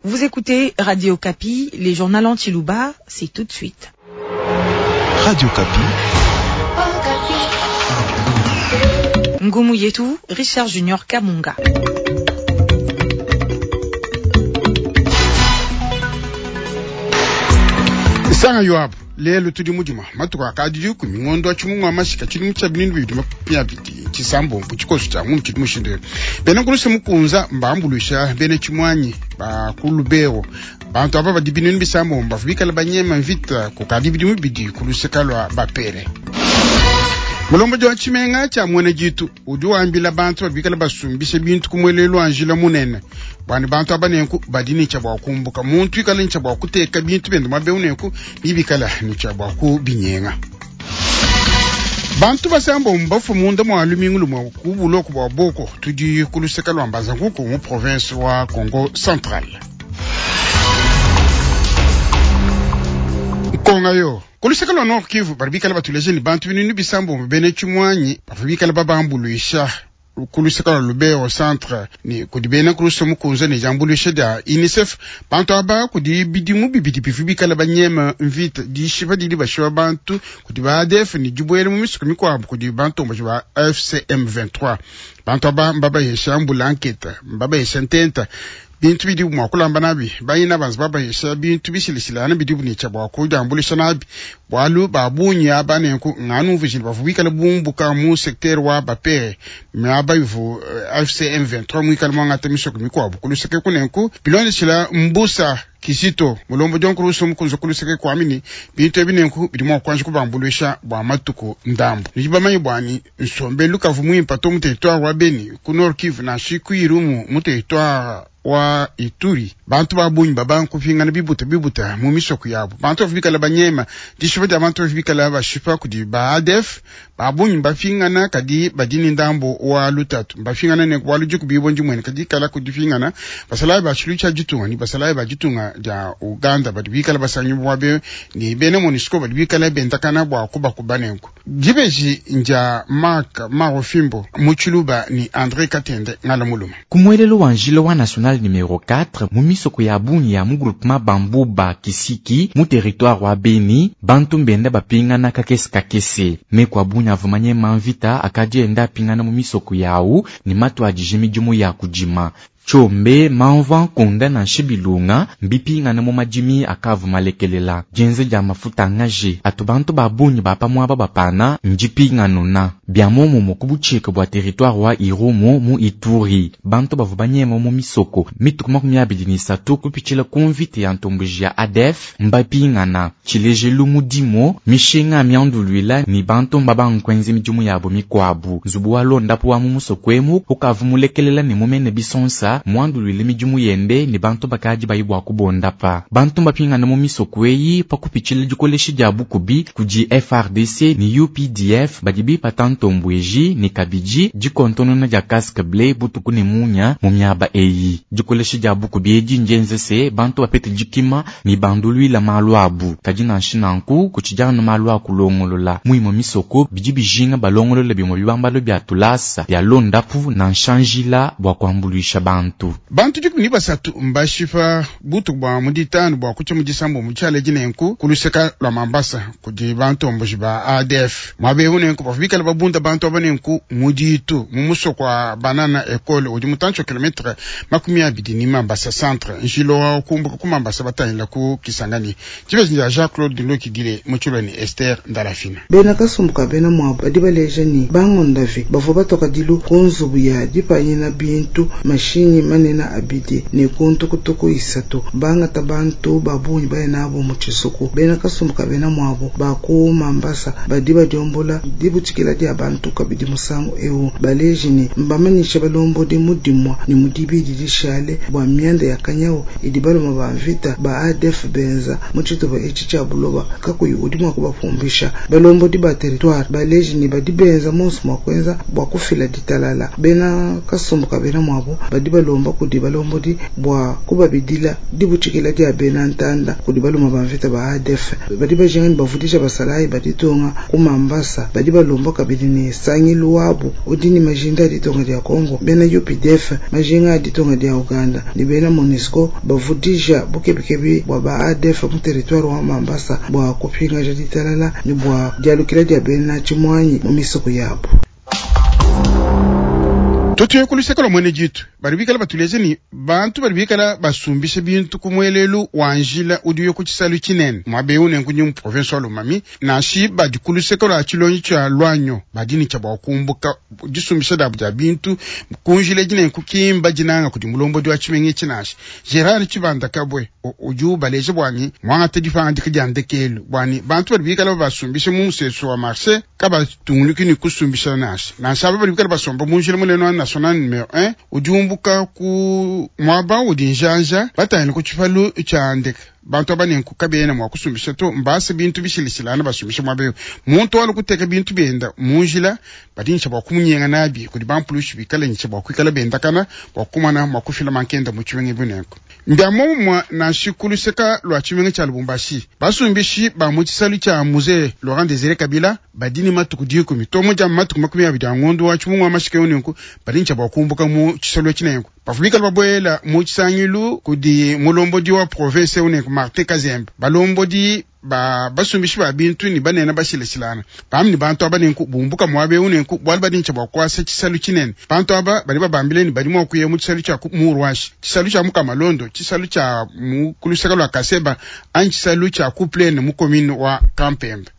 Vous écoutez Radio Okapi, les journaux en Tshiluba, c'est tout de suite. Radio Okapi. Ngumu yetu, Richard Junior Kamunga. Sanga Yoab lelu tudi mudima matuku akadi dikumi ngondo wa tshimungu wa mashika tshidimu tshia binunu bibidi makumi abidi tshisambombo tshikoso tshia ngunu tshidi mushindu eu bena nkuluse mukunza mbambuluisha bena tshimuanyi ba ku Lubero bantu aba badi binunu bisambombo bavua bikala banyema mvita kukadi bidimu bibidi ku luseka lua bapele. Mulombodi wa tshimenga tshia Muena Ditu udi wambila bantu badi bikala basumbisha bintu ku muelelu wa njila munene bua ne bantu aba nenku badi ne tshia bua kumbuka. Muntu ikala ne tshia bua kuteka bintu biende muaba eu nenku nebikala ne tshia bua kubinyenga. Bantu basambombo bafue munda mua lumingu lumue ku buloko bua Boko, tudi ku luseke lua Mbanza-Nkuku mu province wa Kongo Central. Nkonga yo ku luseke lua Nord Kivu badi bikala batuleja ne bantu binunu bisambombo bena tshimuanyi bavua bikala babambuluisha ku luseke lua Lubero Centre ne kudi bena Kristo mukunza ne diambuluisha dia UNICEF. Bantu aba kudi bidimu bibidi bivua bikala banyema mvita, dishipa didi bashipa bantu kudi ba ADF ne dibuela mu misoko mikuabu kudi bantomboji ba FCM 23. Bantu aba mbabayesha mbulanketa, mbabayesha ntenta, bintu bidibu mua kulamba nabi, bayina banza babayesha bintu bishilashilangane bidibu ne tshia bua kudiambuluisha nabi, bualu ba bungi aba nenku nganumvuijile bavua bikale bumbuka mu secteur wa Bapere miaba ivu FCM 23 muikale muangata misoko mikuabu ku luseke ku nenku bilondeshila Mbusa Kizito mulombodi wa nkulusu mukunza ku luseke kuami ne bintu ebi nenku bidi mua kuanji kubambuluisha bua matuku ndambu. Nudi bamanye bua ne nsombelu kavua muimpe to mu territoire wa Beni ku Nord Kivu nansha ku Irumu mu territoire wa Ituri. Bantu ba bungi babanga kupingana bibuta bibuta mu misoko yabu. Bantu bavua bikala banyema dishipa dia bantu bavua bikala bashipa kudi ba ADF. Ba bungi mbapingana kadi badi ne ndambu wa lutatu. Mbapingana ne bualu dikubibua ndimueneka dikala ku dipingana. Basalayi ba tshilu tshia ditunga ne basalayi ba ditunga dia Uganda badi bikala basangibua be ne bena MONUSCO badi bikala bendakana bua kubakuba nenku. Dibeji ndia Mark Marofimbo mu Tshiluba ne Andre Katende Ngala Muluma. Ku muelelu wa njila wa National numero 4, mu misoko ya bungi ya mu groupement Bambuba Kisiki mu territoire wa Beni, bantu mbenda bapingana kakese kakese. Meku a bungi avua manyema mvita akadi enda apingana mu misoko yawu ne matuadije midimu ya kudima. Tshiombe, mamvua, nkunda nansha bilunga mbipingane mu madimi akavua malekelela. Dienza dia mafuta a ngaji atu bantu ba bungi ba pa muaba bapana ndipinganuna. Bia muomumue ku butshika bua teritware wa Irumu mu Ituri, bantu bavua banyema mu misoko mituku 23 kupitshila ku mvita ya ntomboji ya ADF mbapingana. Tshilejelu mu Dimo, mishinga mianduluila ne bantu mbabanga kuenza midimu yabu mikuabu. Nzubu wa luondapu wa mu musoko emu ukavua mulekelela ne mumene bisonsa, muanduluile midimu yende ne bantu bakadi baye bua kubondapa. Bantu mbapingane mu misoko eyi pa kupitshila dikolesha dia bukubi kudi FARDC ne UPDF badi bipata ntombueji ne kabidi dikontonona dia casque bleu butuku ne munya mu miaba eyi. Dikolesha dia bukubi edi ndienze se bantu bapete dikima ne banduluila malu abu. Kadi nansha nanku, kutshidi anu malu a kulongolola. Mu imue misoko, bidi bijinga balongolole bimue bibambalu bia tulasa, bia luondapu nansha njila bua kuambuluisha bantu. Bantu 13 mbashipa butuku bua mu ditanu bua kutshia mu disambombo tshialedi nenku ku luseka lua Mambasa kudi bantomboji ba ADF. Muaba eu nenku bavua bikale babunda bantu aba nenku mu ditu mu musoko wa Banana Ecole udi mutantshi wa kilometre 20 ne Mambasa centre, njila wa kumbuka ku Mambasa batangila ku Kisangani. Dibeji dia Jean Claude Lokidile mu Tshilua ne Esther Ndalafina. Bena kasumbu ka bena muabu badi baleja ne, bangondavi bavua batua kadilu ku nzubu ya dipanyina bintu, mashinyi manene abidi ne ku ntukutuku isatu, bangata bantu ba bungi baya nabu mu tshisuku. Bena kasumbu ka bena muabu ba ku Mambasa badi badiombola dibutshikila dia bantu kabidi musangu eu, baleji ne, mbamanyishe balombodi mu dimua ne mu dibidi dishale bua mianda ya kanyawu idi baluma ba mvita ba ADF benza mu tshitupa etshi tshia buloba kakuyi udi mua kubapumbisha. Balombodi ba territoire baleji ne badi benza monso mua kuenza bua kufila ditalala. Bena kasumbu ka bena muabu badi balomba. balomba kudi balombodi bua kubabidila dibutshikila dia bena ntanda kudi baluma ba mvita ba ADF. Badi bajinga ne bavudija basalayi ba ditunga ku Mambasa. Badi balomba kabidi ne sangilu wabu udi ne majinda a ditunga dia Congo, bena UPDF majinga a ditunga dia Uganda ne bena MONUSCO bavudija bukebikebi bua ba ADF mu territoire wa Mambasa bua kupingaja ditalala ne bua dialukila dia bena tshimuanyi mu misoko yabu. Tutuye ku luseke lua muena ditu badi bikala batuleja ne bantu badi bikala basumbisha bintu ku muelelu wa njila udi uya ku tshisalu tshinene muaba eu nenku mu province wa Lomami nansha badi ku luseke lua tshilonji tshia Luanyo badi ne tshia bua kumbuka disumbisha diabu dia bintu ku njila edi nenku kimba dinanga kudi mulombodi wa tshimenga etshi nansha Gerard Tshibanda Kabwe udi ubaleja bua ne muangata dipangadika dia ndekelu bua ne bantu badi bikala basumbisha mu musesu wa marché kabatungunuki ne kusumbisha nansha nansha aba badi bikala basomba mu njila munene wa national numero 1 udi umbuka ku muaba udi njanja batangile ku tshipalu tshia ndeke. Bantu aba nenku kabena mua kusumbisha to, mbase bintu bishilashilangane basumbisha muaba eu. Muntu walu kuteka bintu bienda mu njila badi ntsha bua kumunyenga nabi kudi bampulushi bikale ntsha bua kuikala bendakana bua kumana mua kufila mankenda mu tshimenga ebu nenku. Mbia muomumue nansha ku luseka lua tshimenga tshia Lubumbashi, basumbishi ba mu tshisalu tshia Musée Laurent Désiré Kabila badi ne matuku 10 to mu dia matuku 20 a ngondo wa tshimungu wa mashika eu nenku badi ntsha bua kumbuka mu tshisalu etshi nenku. Bavua bikale babuela mu tshisangilu kudi mulombodi wa province eu nenku Martin Kazembe, balombodi ba basumbishi ba bintu ne banene bashilashilana bambi ne bantu aba nenku bumbuka muaba eu nenku bualu badi ntsha bua kuasa tshisalu tshinene. Bantu aba badi babambile ne badi mua kuya mu tshisalu tshia Murwashi, tshisalu tshia Mukamalondo, tshisalu tshia mu kuluseka lua Kaseba anyi tshisalu tshia Kuplene mu commune wa Kampembe.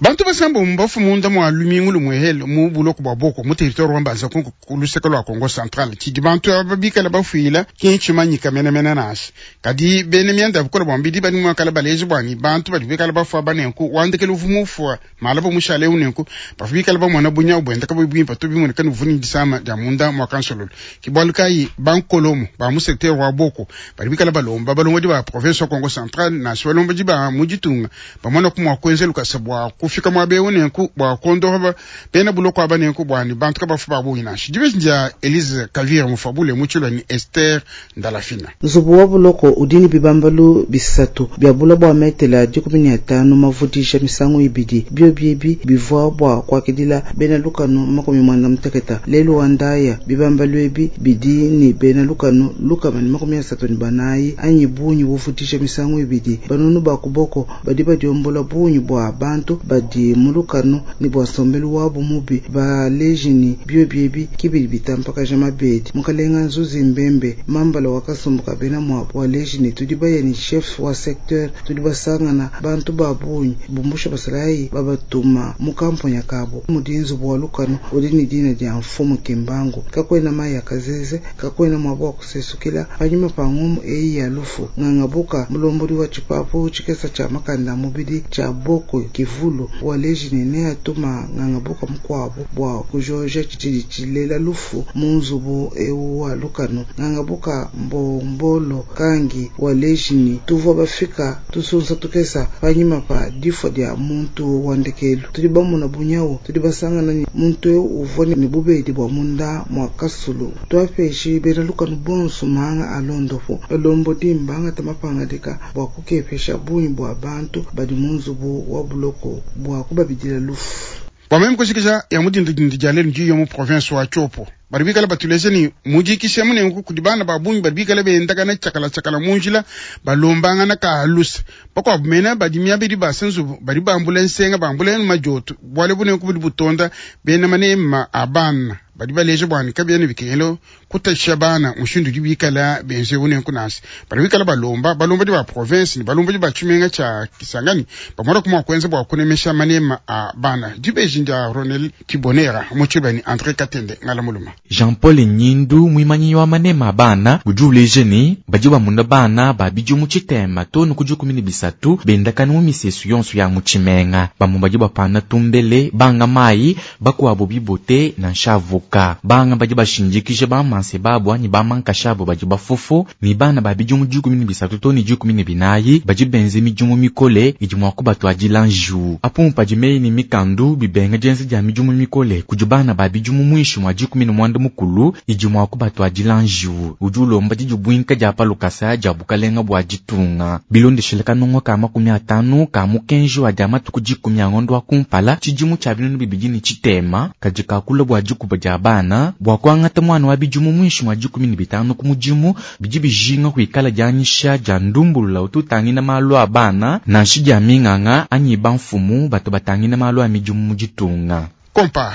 Bantu basambo mbafu munda mua lumingu lumwehele mu buloko bua boko mu territoire wa Mbanza Kongo ku luseke lua Kongo Central. Tshidi bantu aba bikala bafuila ki ntshimanyika menemene nansha. Kadi bena mianda ya bukole bua mbidi badi mua kala baleja bua ni bantu badi bikala bafua banenku wandekele uvu mufua malaba mushale eu nenku bavua bikala bamona bunyau buenda kabuyi buimpe to bimoneka ne uvua ne disama dia munda mua kansololo. Ke bualu kayi bankolomo ba mu secteur wa boko badi bikala balomba balombodi ba province wa Kongo Central nansha balombodi ba mu ditunga bamona ku mua kuenza lukasa bua kufika muaba eu nenku bua kuondopa bena buloko aba nenku bua ne bantu kabafu ba bungi nansha. Dibeji dia Elise Kavira Mufabule mu tshilua ne Esther Ndalafina. Nzubu wa buloko udi ne bibambalu bisatu bia bula bua metela 15 mavudija misangu ibidi. Biobi ebi bivua bua kuakidila bena lukanu 60. Lelu wa ndaya bibambalu ebi bidi ne bena lukanu 134 anyi bungi buvudija misangu ibidi. Banunu ba kuboko badi badiombola bungi bua bantu badi mu lukanu ne bua nsombelu wabu mubi baleji ne biobi ebi kibidi bitampakaja mabedi. Mukalenga Nzuzi Mbembe mambala wa kasumbu ka bena muabu waleji ne tudi baya ne chef wa secteur tudi basangana bantu ba bungi bumbusha basalayi babatuma mu kamponya kabo mudi nzubu wa lukanu udi ne dina dia mfumu Kimbangu. Kakwena mayi ya kazeze, kakwena muabu wa kusesukila panyima pa ngumu eyi ya lufu. Ngangabuka mulombodi wa tshipapu tshikesa tshia makanda mubidi tshia boko kivulu waleji ne neatuma ngangabuka mukuabu bua kujoja tshidi tshilela lufu mu nzubu eu wa lukanu. Ngangabuka mbombolo kangi waleji ne tuvua bafika tusunsa tukesa panyima pa difua dia muntu wa ndekelu. Tudi bamona bunyau, tudi basangana ne muntu eu uvua ne bubedi bua munda mua kasulu. Twapeshe bena lukanu bonso manga alondopo balombodi mbangata mapangadika bua kukepesha bungi bua bantu badi mu nzubu wa buloko bua kubabidila lufu. Bua meme kushikisha ya mudindidindi dia lelu ndiyo mu province wa Tshopo. Badi bikala batuleze ni mujikishe munengu kudi bana ba bungi badi bikala bendakana tshiakala tshiakala mu njila balombangana ka lusa. Bakuabu mena badi miabidi ba senzu badi bambula nsenga bambula majoto bualu bunengu budi butonda bena manema a bana badi baleja bua ne kabiena bikengela kutasha bana mushindu udi bikala benze bunengu nansi. Badi bikala balomba balombodi ba province ne balombodi ba tshimenga tshia Kisangani bamona kuma kuenza bua kunemesha manema a bana. Dibeji ndia Ronel Kibonera mu tshibani André Katende ngala muluma. Jean-Paul Nyindu mwimanyi wa manema bana udi uleja ne badi bamuna bana babidi mu tshitema to ne kudi 13 bendakana mu misesu yonso ya mu tshimenga. Bamwe badi bapana tumbele banga mayi bakuabo bibote na nshavuka. mpukapuka. Banga badi bashindikija bamanseba abu anyi bamankasha abu badi bafofo, ne bana ba bidimu 13 too ne 14 badi benze midimu mikole idi mua kubatuadila njiwu. Apu padi meyi ne mikandu bibenga dienza dia midimu mikole kudi bana ba bidimu muinshi mua 15 idi mua kubatuadila njiwu. Udi ulomba didibuinka dia pa lukasa dia bukalenga bua ditunga. Bilondeshile kanungu ka 50 ka mukenji wa dia matuku 10 a ngondo wa kumpala tshidimu tshia 2003 kadi kakula bua dikuba dia bana bua kuangata mwana wa bidimu muinshi mua 15 ku mudimu bidi bijinga kuikala dianyisha dia ndumbulula utu utangila malu a bana nansha dia minganga anyi bamfumu batu batangila malu a midimu mu ditunga. Kompa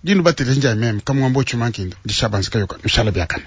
dinu batele njia meme kamwambo chumankinda ndishabanzika yoka nushala biakana.